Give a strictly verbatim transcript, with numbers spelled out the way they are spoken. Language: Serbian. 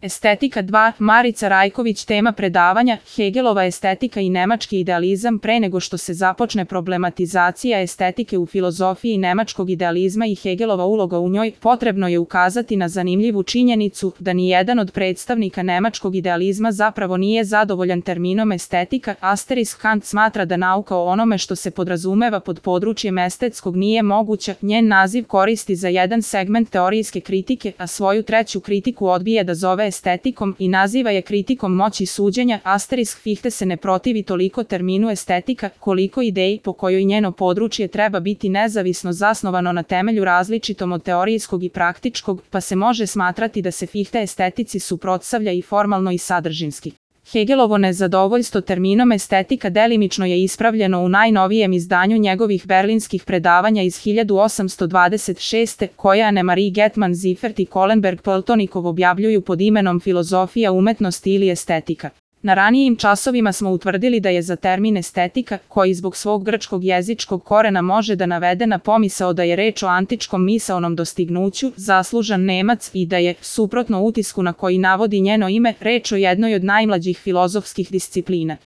Estetika dva. Marica Rajković. Tema predavanja: Hegelova estetika i nemački idealizam. Pre nego što se započne problematizacija estetike u filozofiji nemačkog idealizma i Hegelova uloga u njoj, potrebno je ukazati na zanimljivu činjenicu da ni jedan od predstavnika nemačkog idealizma zapravo nije zadovoljan terminom estetika. Asterisk Kant smatra da nauka o onome što se podrazumeva pod područjem estetskog nije moguća. Njen naziv koristi za jedan segment teorijske kritike, a svoju treću kritiku odbija da zove estetikom i naziva je kritikom moći suđenja. Asterisk Fichte se ne protivi toliko terminu estetika, koliko ideji po kojoj njeno područje treba biti nezavisno zasnovano na temelju različitom od teorijskog i praktičkog, pa se može smatrati da se Fichte estetici suprotstavlja i formalno i sadržinski. Hegelovo nezadovoljstvo terminom estetika delimično je ispravljeno u najnovijem izdanju njegovih berlinskih predavanja iz hiljadu osamsto dvadeset šeste. koje Annemarie Getman Ziffert i Kohlenberg Peltonikov objavljuju pod imenom Filozofija umetnosti ili estetika. Na ranijim časovima smo utvrdili da je za termin estetika, koji zbog svog grčkog jezičkog korena može da navede na pomisao da je reč o antičkom misaonom dostignuću, zaslužan Nemac i da je, suprotno utisku na koji navodi njeno ime, reč o jednoj od najmlađih filozofskih disciplina.